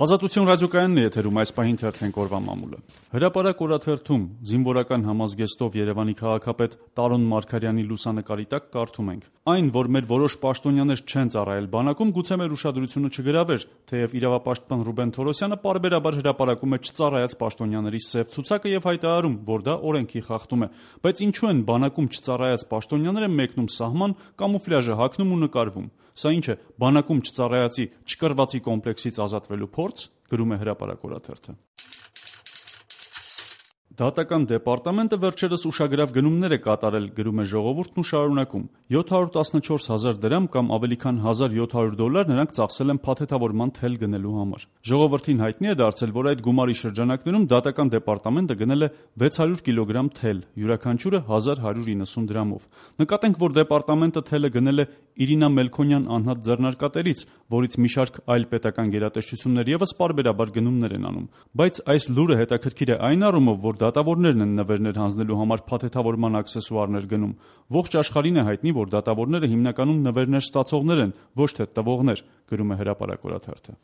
Ազատություն ռադիոկայանն է եթերում, այս պահին թերթենք օրվա մամուլը։ Հրապարակ օրաթերթում զինվորական համազգեստով Երևանի քաղաքապետ Տարոն Մարգարյանի լուսանկարի տակ կարդում ենք. «Այն, որ մեր որոշ պաշտոնյաներ չեն ծառայել բանակում, գուցե մեր ուշադրությունը չգրավեր, թեև իրավապաշտպան Ռուբեն Թորոսյանը պարբերաբար հրապարակում է չծառայած պաշտոնյաների սև ցուցակը եւ հայտարարում, որ դա օրենքի խախտում է, բայց ինչու են բանակում չծառայած պաշտոնյաները մեկնում սահման, կամուֆլյաժը հագնում ու նկարվում։ Սա ինչ է, բանակում չծառայածի չկռվածի կոմպլեքսից ազատվելու փորձ», գրում է Հրապարակ օրաթերթը։ Դատական դեպարտամենտը վերջերս ուշագրավ գնումներ է կատարել, գրում է Ժողովուրդն ու շարունակում. 714,000 դրամ կամ ավելի քան $1,700 նրանք ծախսել են փաթեթավորման թել գնելու համար։ Ժողովրդին հայտնի է դարձել, որ այդ գումարի շրջանակներում դատական դեպարտամենտը գնել է 600 կիլոգրամ թել, յուրաքանչյուրը 1190 դրամով։ Նկատենք, որ դեպարտամենտը թելը գնել է Իրինա Մելքոնյան անհատ ձեռնարկատերից, որից մի շարք այլ պետական գերատեսչություններ ևս պարբերաբար գնումներ են անում։ Բայց այս լուրը հետաքրքիր է այն առումով, որ դատավորներն են նվերներ հանձնելու համար փաթեթավորման աքսեսուարներ գնում։ Ողջ աշխարհին է հայտնի, որ դատավորները հիմնականում նվերներ ստացողներ են, ոչ թե տվողներ, գրում է Հրապարակ օրաթերթը։